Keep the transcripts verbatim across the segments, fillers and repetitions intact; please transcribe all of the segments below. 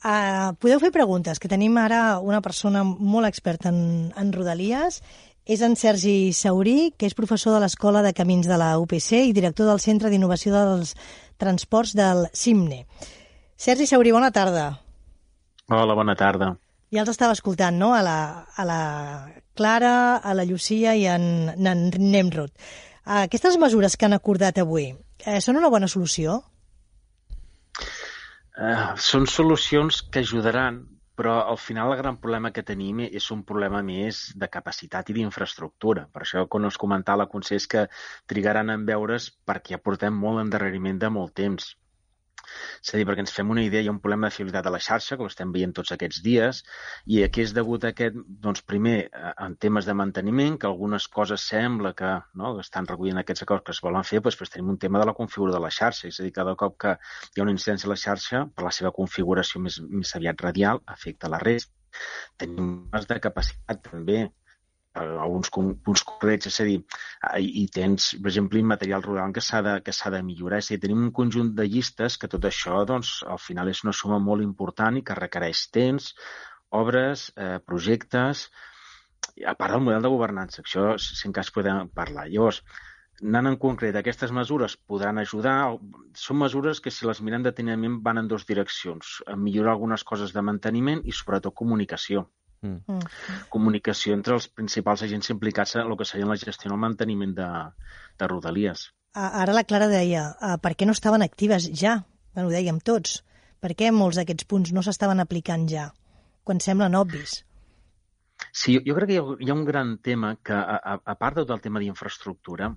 Uh, podeu fer preguntes, que tenim ara una persona molt experta en, en Rodalies. És en Sergi Saurí, que és professor de l'Escola de Camins de la U P C i director del Centre d'Innovació dels Transports del CIMNE. Sergi Saurí, bona tarda. Hola, bona tarda. Ja els estava escoltant, no?, a la, a la Clara, a la Llucia i en, en Nemrod. Aquestes mesures que han acordat avui eh, són una bona solució? Uh, són solucions que ajudaran, però al final el gran problema que tenim és un problema més de capacitat i d'infraestructura. Per això, quan us comentava la Consells, és que trigaran en veure's perquè ja portem molt endarreriment de molt temps. És a dir, perquè ens fem una idea, hi ha un problema de fiabilitat a la xarxa, que ho estem veient tots aquests dies, i aquí és degut a aquest, doncs primer, en temes de manteniment, que algunes coses sembla que, no, que estan recollint aquests acords que es volen fer, doncs, doncs tenim un tema de la configuració de la xarxa, és a dir, cada cop que hi ha una incidència a la xarxa, per la seva configuració més, més aviat radial, afecta la resta. Tenim més de capacitat també, alguns punts concrets, és a dir, i tens, per exemple, material rodant que s'ha de, que s'ha de millorar. És a dir, tenim un conjunt de llistes que tot això, doncs, al final és una suma molt important i que requereix temps, obres, eh, projectes, a part del model de governança, això, si en cas podem parlar. Llavors, anant en concret, aquestes mesures podran ajudar, són mesures que si les mirem detenidament van en dues direccions, a millorar algunes coses de manteniment i sobretot comunicació. Mm. Comunicació entre els principals agents implicats en el que seria la gestió i el manteniment de, de Rodalies. Ara la Clara deia, per què no estaven actives ja? Bueno, ho dèiem tots. Per què molts d'aquests punts no s'estaven aplicant ja, quan semblen obvis? Sí, jo crec que hi ha un gran tema que, a, a part de tot el tema d'infraestructura,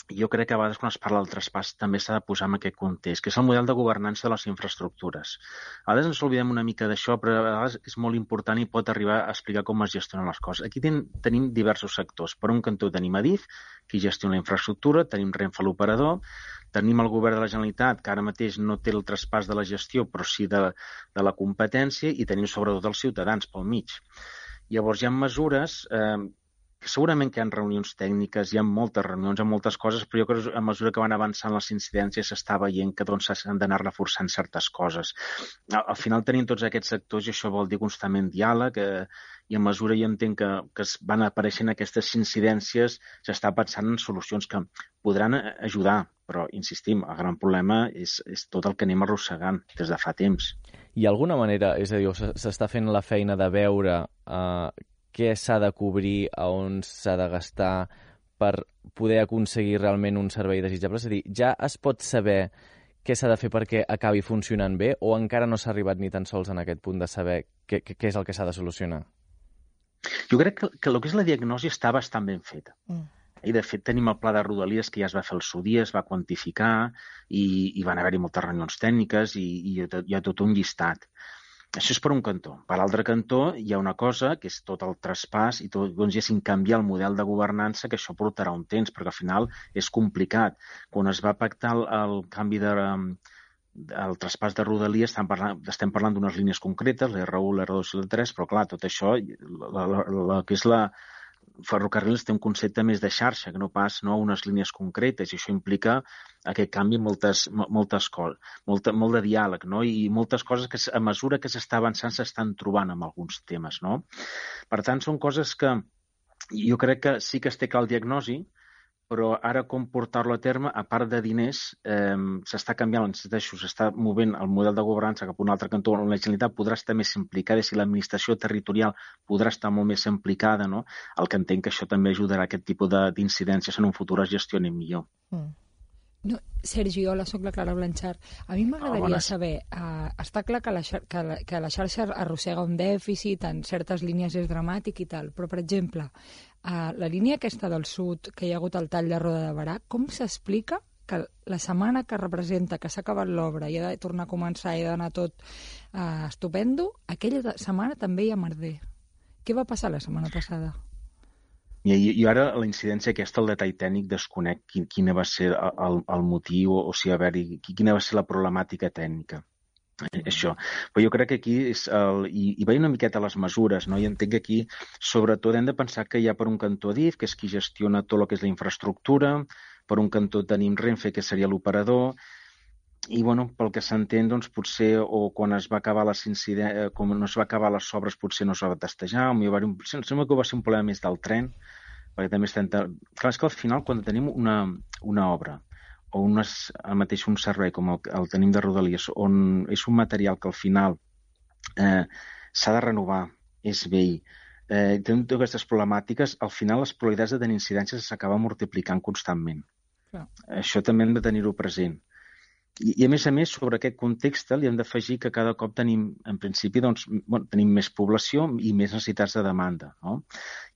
jo crec que a vegades quan es parla del traspàs també s'ha de posar en aquest context, que és el model de governança de les infraestructures. A vegades ens oblidem una mica d'això, però a vegades és molt important i pot arribar a explicar com es gestionen les coses. Aquí ten, tenim diversos sectors. Per un cantó tenim Adif, que gestiona la infraestructura, tenim Renfe, l'operador, tenim el govern de la Generalitat, que ara mateix no té el traspàs de la gestió, però sí de, de la competència, i tenim sobretot els ciutadans pel mig. Llavors hi ha mesures... Eh, segurament que hi ha reunions tècniques, hi ha moltes reunions, hi ha moltes coses, però jo crec que a mesura que van avançant les incidències s'està veient que doncs, s'han d'anar reforçant certes coses. Al, al final tenim tots aquests sectors i això vol dir constantment diàleg, eh, i a mesura jo entenc que, que es van apareixent aquestes incidències, s'està pensant en solucions que podran ajudar, però insistim, el gran problema és, és tot el que anem arrossegant des de fa temps. Hi ha alguna manera, és a dir, s'està fent la feina de veure eh, què s'ha de cobrir, a on s'ha de gastar per poder aconseguir realment un servei desitjable? És a dir, ja es pot saber què s'ha de fer perquè acabi funcionant bé o encara no s'ha arribat ni tan sols en aquest punt de saber què, què és el que s'ha de solucionar? Jo crec que, que el que és la diagnosi està bastant ben feta. Mm. I, de fet, tenim el pla de Rodalies que ja es va fer al seu dia, es va quantificar i, i van haver-hi moltes reunions tècniques i, i hi ha tot un llistat. Això és per un cantó. Per l'altre cantó hi ha una cosa que és tot el traspàs i tot, doncs, diguéssim, canviar el model de governança, que això portarà un temps, perquè al final és complicat. Quan es va pactar el, el canvi de, el traspàs de Rodalies, estem parlant, estem parlant d'unes línies concretes, l'R u, l'R dos i l'R tres, però clar, tot això, la, la, la, que és la ferrocarrils té un concepte més de xarxa, que no pas no, unes línies concretes, i això implica aquest canvi moltes, moltes coses, molt, molt de diàleg, no? I moltes coses que a mesura que s'està avançant s'estan trobant amb alguns temes, no? Per tant, són coses que jo crec que sí que es té clar el diagnosi, però ara com portar-lo a terme, a part de diners, eh, s'està canviant, insisteixo, s'està movent el model de governança cap a un altre cantó on la Generalitat podrà estar més implicada, si l'administració territorial podrà estar molt més implicada, no? El que entenc que això també ajudarà a aquest tipus d'incidències en un futur es gestionin millor. Mm. No, Sergi, hola, soc la Clara Blanchard. A mi m'agradaria oh, saber, uh, està clar que la, que, la, que la xarxa arrossega un dèficit, en certes línies és dramàtic i tal, però, per exemple, uh, la línia aquesta del sud, que hi ha hagut el tall de Roda de Berà, com s'explica que la setmana que representa que s'ha acabat l'obra i ha de tornar a començar i ha d'anar tot uh, estupendo, aquella setmana també hi ha merder? Què va passar la setmana passada? I, i ara la incidència aquesta, el detall tècnic, desconec quin, quina va ser el, el motiu o, o si haver-hi, quina va ser la problemàtica tècnica. Mm. Això. Però jo crec que aquí és el, i, i veient una miqueta les mesures, no? I entenc que aquí sobretot hem de pensar que hi ha per un cantó Adif, que és qui gestiona tot el que és la infraestructura, per un cantó tenim Renfe, que seria l'operador, i bueno, pel que s'entén, doncs, potser, o quan es va acabar les incidències, com no es va acabar les obres, potser no es va testejar, o hi va haver un... Sembla que va ser un problema més del tren, perquè també estem... Clar, és que al final, quan tenim una, una obra, o unes, el mateix un servei com el, el tenim de Rodalies, on és un material que al final eh, s'ha de renovar, és vell, eh, tenim totes aquestes problemàtiques, al final les probabilitats de tenir incidències s'acaben multiplicant constantment. Clar. Això també hem de tenir-ho present. I, I, a més a més, sobre aquest context li hem d'afegir que cada cop tenim, en principi, doncs, bueno, tenim més població i més necessitats de demanda. No?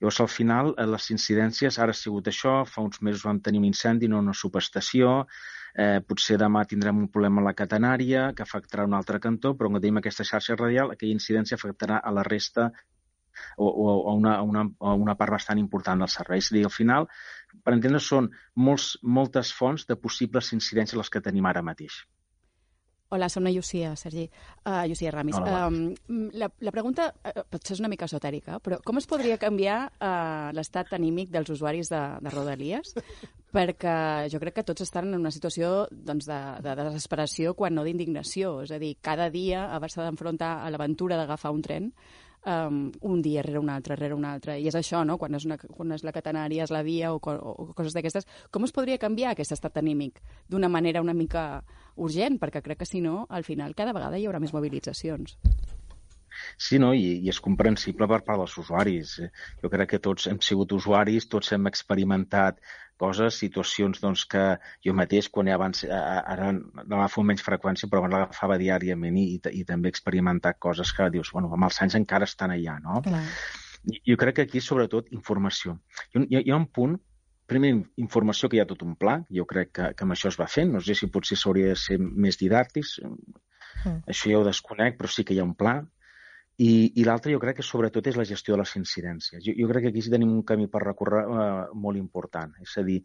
Llavors, al final, les incidències, ara ha sigut això, fa uns mesos vam tenir un incendi en una subestació, eh, potser demà tindrem un problema a la catenària que afectarà un altre cantó, però quan tenim aquesta xarxa radial, aquella incidència afectarà a la resta o, o a, una, a, una, a una part bastant important dels serveis. És a dir, al final, per entendre, són molts, moltes fonts de possibles incidències les que tenim ara mateix. Hola, som la Llucia, Sergi. Uh, Llucia Ramis. Hola, um, la, la pregunta uh, potser és una mica esotèrica, però com es podria canviar uh, l'estat anímic dels usuaris de, de Rodalies? Perquè jo crec que tots estan en una situació doncs, de, de desesperació, quan no d'indignació. És a dir, cada dia haver-se d'enfrontar a l'aventura d'agafar un tren, Um, un dia rere un altre, rere un altre. I és això, no? Quan és, una, quan és la catenària, és la via o, o, o coses d'aquestes. Com es podria canviar aquest estat anímic d'una manera una mica urgent? Perquè crec que, si no, al final cada vegada hi haurà més mobilitzacions. Sí, no? I, i és comprensible per part dels usuaris. Jo crec que tots hem sigut usuaris, tots hem experimentat coses, situacions doncs, que jo mateix, quan abans, ara l'agafo amb menys freqüència, però abans l'agafava diàriament i, i, i també he experimentat coses que dius, bueno, amb els anys encara estan allà, no? Clar. Jo crec que aquí, sobretot, informació. Hi, hi ha un punt, primer, informació, que hi ha tot un pla, jo crec que, que amb això es va fent, no sé si potser s'hauria de ser més didàctics, mm. Això ja ho desconec, però sí que hi ha un pla. I, i l'altre jo crec que sobretot és la gestió de les incidències. Jo, jo crec que aquí sí tenim un camí per recórrer eh, molt important. És a dir,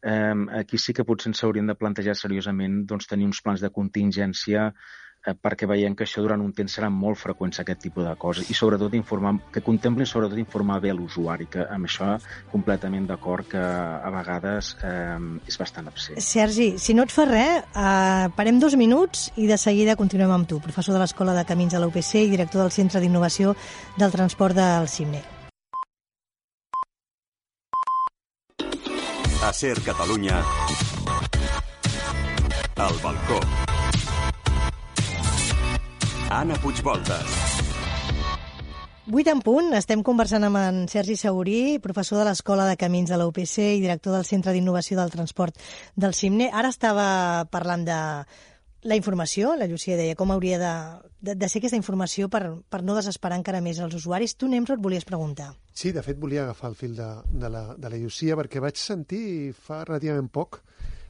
eh, aquí sí que potser ens hauríem de plantejar seriosament doncs, tenir uns plans de contingència eh, perquè veiem que això durant un temps serà molt freqüent aquest tipus de coses i sobretot informar, que contemplin sobretot informar bé l'usuari, que amb això completament d'acord que a vegades eh, és bastant absent. Sergi, si no et fa res, eh, parem dos minuts i de seguida continuem amb tu, professor de l'Escola de Camins de la U P C i director del Centre d'Innovació del Transport del CIMNE. A Ser Catalunya, al balcó. Anna Puigvoltes. Vuit en punt, estem conversant amb en Sergi Saurí, professor de l'Escola de Camins de la U P C i director del Centre d'Innovació del Transport del CIMNE. Ara estava parlant de la informació, la Llucia deia com hauria de, de, de ser aquesta informació per, per no desesperar encara més els usuaris. Tu, Nemro, et volies preguntar. Sí, de fet volia agafar el fil de, de, la, de la Llucia perquè vaig sentir fa relativament poc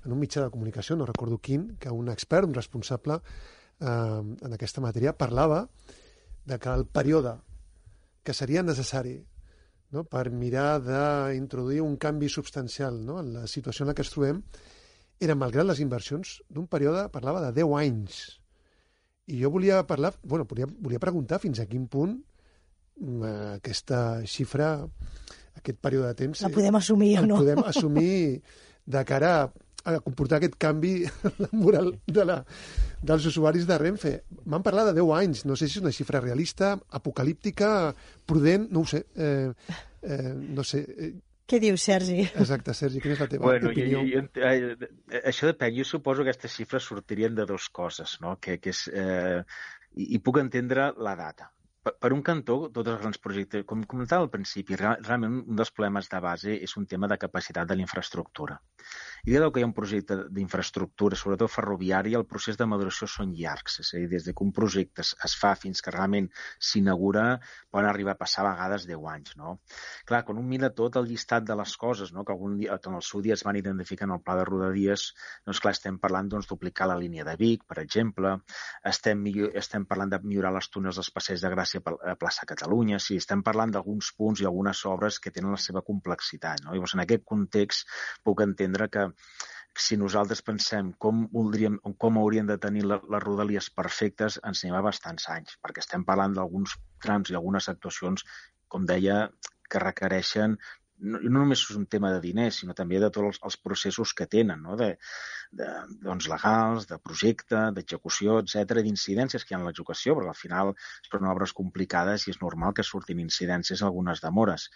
en un mitjà de comunicació, no recordo quin, que un expert, un responsable eh, en aquesta matèria, parlava de que el període que seria necessari, no, per mirar d'introduir un canvi substancial, no, en la situació en la que ens trobem era, malgrat les inversions, d'un període, parlava de deu anys. I jo volia parlar, bueno, volia, volia preguntar fins a quin punt eh, aquesta xifra, aquest període de temps... La podem assumir o no? podem assumir de cara a a comportar aquest canvi moral de la, dels usuaris de Renfe. M'han parlat de deu anys, no sé si és una xifra realista, apocalíptica, prudent, no ho sé. Eh, eh, no sé. Què dius, Sergi? Exacte, Sergi, quina és la teva bueno, opinió? Jo, jo, eh, això depèn. Jo suposo que aquestes xifres sortirien de dues coses, no? Que, que és, eh, i, i puc entendre la data. Per, per un cantó, tots els grans projectes, com comentava al principi, realment un dels problemes de base és un tema de capacitat de la infraestructura. I dir que hi ha un projecte d'infraestructura, sobretot ferroviària, el procés de maduració són llargs. És a dir, des que un projecte es, es fa fins que realment s'inaugura, poden arribar a passar a vegades deu anys. No? Clar, quan un mira tot el llistat de les coses, no? que, algun dia, que en el seu dia es van identificar en el pla de Rodalies, doncs clar, estem parlant doncs, duplicar la línia de Vic, per exemple, estem, estem parlant de millorar les túnels dels Passeig de Gràcia a plaça Catalunya, sí, estem parlant d'alguns punts i algunes obres que tenen la seva complexitat. No? Llavors, en aquest context puc entendre que si nosaltres pensem com voldríem, com haurien de tenir les rodalies perfectes, ens anem a bastants anys, perquè estem parlant d'alguns trams i algunes actuacions, com deia, que requereixen no, no només és un tema de diners, sinó també de tots els, els processos que tenen, no? de, de, doncs, legals, de projecte, d'execució, etcètera, d'incidències que hi ha en l'execució, perquè al final són obres complicades i és normal que surtin incidències, algunes demores.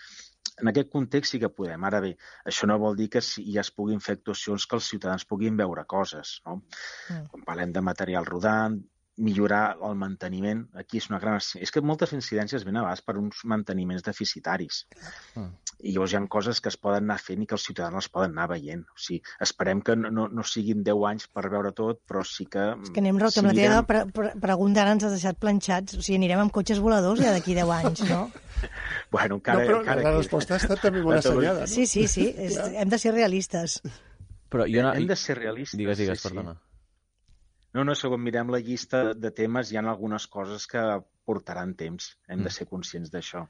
En aquest context sí que podem. Ara bé, això no vol dir que ja es puguin fer actuacions que els ciutadans puguin veure coses, no? Mm. Quan parlem de material rodant, millorar el manteniment, aquí és una gran... És que moltes incidències venen a vegades per uns manteniments deficitaris. Mm. I llavors hi ha coses que es poden anar fent i que els ciutadans les poden anar veient. O sigui, esperem que no, no, no siguin deu anys per veure tot, però sí que... És que anem rota, si amb la teva pre pre pregunta ara ens has deixat planxats. O sigui, anirem amb cotxes voladors ja d'aquí deu anys, no? Bueno, encara... No, però encara la resposta ha estat també molt assenyada, no? Sí, sí, sí. És, hem de ser realistes. Però jo no... Hem de ser realistes. Digues, digues, sí, perdona. Sí. No, no, segons mirem la llista de temes, hi ha algunes coses que portaran temps. Hem de ser conscients d'això.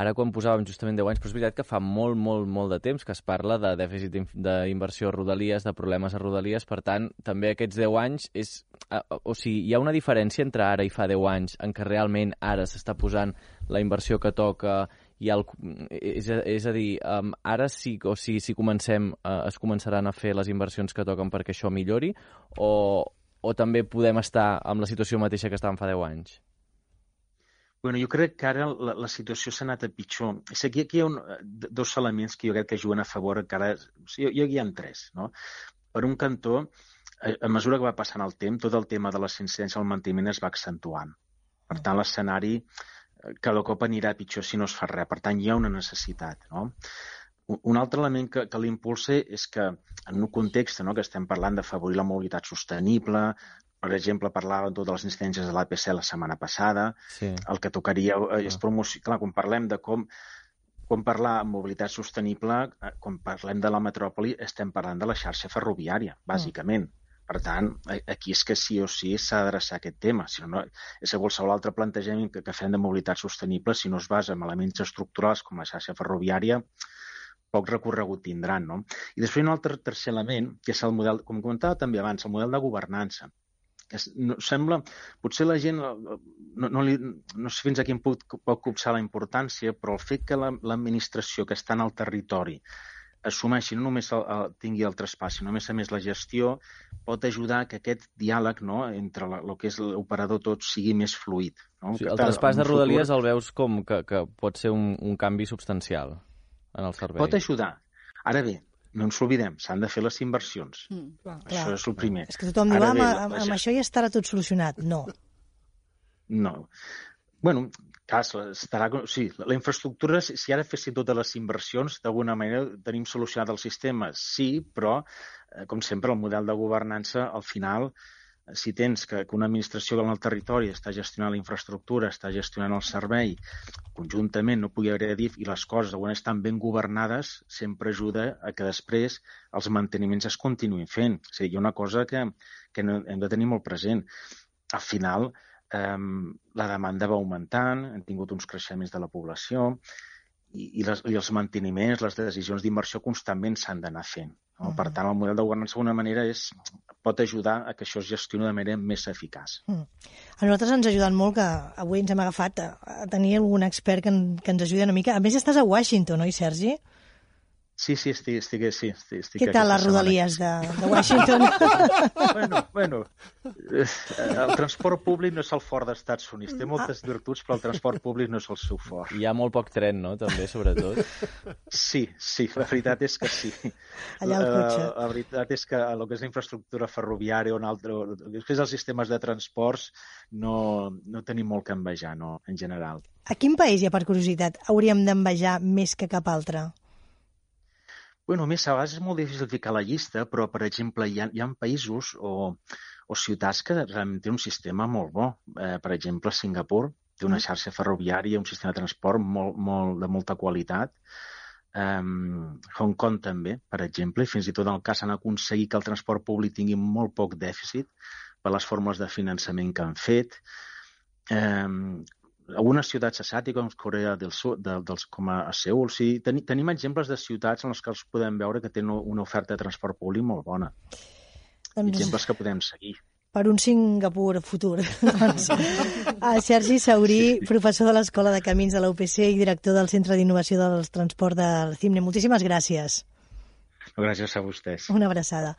Ara, quan posàvem justament deu anys, però és veritat que fa molt, molt, molt de temps que es parla de dèficit d'inversió a Rodalies, de problemes a Rodalies, per tant, també aquests deu anys és... O sigui, hi ha una diferència entre ara i fa deu anys en què realment ara s'està posant la inversió que toca i el... és, a, és a dir, um, ara sí, o sigui, si comencem, uh, es començaran a fer les inversions que toquen perquè això millori, o... o també podem estar amb la situació mateixa que estàvem fa deu anys? Bueno, jo crec que ara la, la situació s'ha anat a pitjor. És que aquí, aquí hi ha un, dos elements que jo crec que juguen a favor encara... O sigui, jo, jo hi ha tres, no? Per un cantó, a, a mesura que va passant el temps, tot el tema de les incidències al manteniment es va accentuant. Per tant, l'escenari cada cop anirà pitjor si no es fa res. Per tant, hi ha una necessitat, no? Un altre element que, que l'impulsa és que en un context, no, que estem parlant d'afavorir la mobilitat sostenible, per exemple, parlàvem de totes les incidències de l'A P C la setmana passada, sí. El que tocaria és promocionar... Clar, quan parlem de com, quan parlar de mobilitat sostenible, quan parlem de la metròpoli, estem parlant de la xarxa ferroviària, bàsicament. Per tant, aquí és que sí o sí s'ha d'adreçar aquest tema. Si no, és que qualsevol altre plantejament que, que fem de mobilitat sostenible, si no es basa en elements estructurals com la xarxa ferroviària, poc recorregut tindran, no? I després hi ha un altre tercer element, que és el model, com comentava també abans, el model de governança. Que és, no, sembla, potser la gent, no, no, li, no sé fins a quin punt pot copsar la importància, però el fet que l'administració que està en el territori assumeixi, no només el, el, tingui el traspàs, sinó només a més la gestió, pot ajudar que aquest diàleg, no, entre la, el que és l'operador tot sigui més fluid. No? Sí, el traspàs de Rodalies futur... el veus com que, que pot ser un, un canvi substancial en el servei. Pot ajudar. Ara bé, no ens oblidem, s'han de fer les inversions. Mm, clar, això clar. És el primer. És que tothom diu, ah, amb, amb això ja estarà tot solucionat. No. No. Bueno, clar, estarà... Sí, la infraestructura, si ara fessin totes les inversions, d'alguna manera tenim solucionat el sistema. Sí, però, com sempre, el model de governança, al final, si tens que, que una administració en el territori està gestionant la infraestructura, està gestionant el servei, conjuntament no pugui haver dit i les coses quan estan ben governades, sempre ajuda a que després els manteniments es continuïn fent. O sigui, hi ha una cosa que, que no, hem de tenir molt present. Al final, eh, la demanda va augmentant, hem tingut uns creixements de la població i, i, les, i els manteniments, les decisions d'inversió constantment s'han d'anar fent. No? Mm. Per tant, el model de governança d'alguna manera és, pot ajudar a que això es gestioni de manera més eficaç. Mm. A nosaltres ens ha ajudat molt que avui ens hem agafat a, a tenir algun expert que, en, que ens ajudi una mica. A més, estàs a Washington, oi, Sergi? Sí, sí, estic, estic, sí, estic, estic Què tal les Rodalies de, de Washington? bueno, bueno, el transport públic no és el fort dels Estats Units. Té moltes ah. virtuts, però el transport públic no és el seu fort. Hi ha molt poc tren, no?, també, sobretot. Sí, sí, la veritat és que sí. Allà el cotxe. La, la veritat és que el que és la infraestructura ferroviària o un altre, després els sistemes de transports no, no tenim molt que envejar, no, en general. A quin país, ja per curiositat, hauríem d'envejar més que cap altre? Bueno, més, a vegades és molt difícil ficar la llista, però, per exemple, hi ha, hi ha països o, o ciutats que realment tenen un sistema molt bo. Eh, per exemple, Singapur té una xarxa ferroviària, un sistema de transport molt, molt, de molta qualitat. Um, Hong Kong també, per exemple, i fins i tot en el cas han aconseguit que el transport públic tingui molt poc dèficit per les fórmules de finançament que han fet. Um, algunes ciutats asiàtiques, com Corea del Sud, de, dels, com a Seul, sí, ten, tenim exemples de ciutats en les que els podem veure que tenen una oferta de transport públic molt bona. Doncs... Exemples que podem seguir. per un Singapur futur. Doncs, a Sergi Saurí, professor de l'Escola de Camins de la U P C i director del Centre d'Innovació del Transport del CIMNE. Moltíssimes gràcies. Gràcies a vostès. Una abraçada.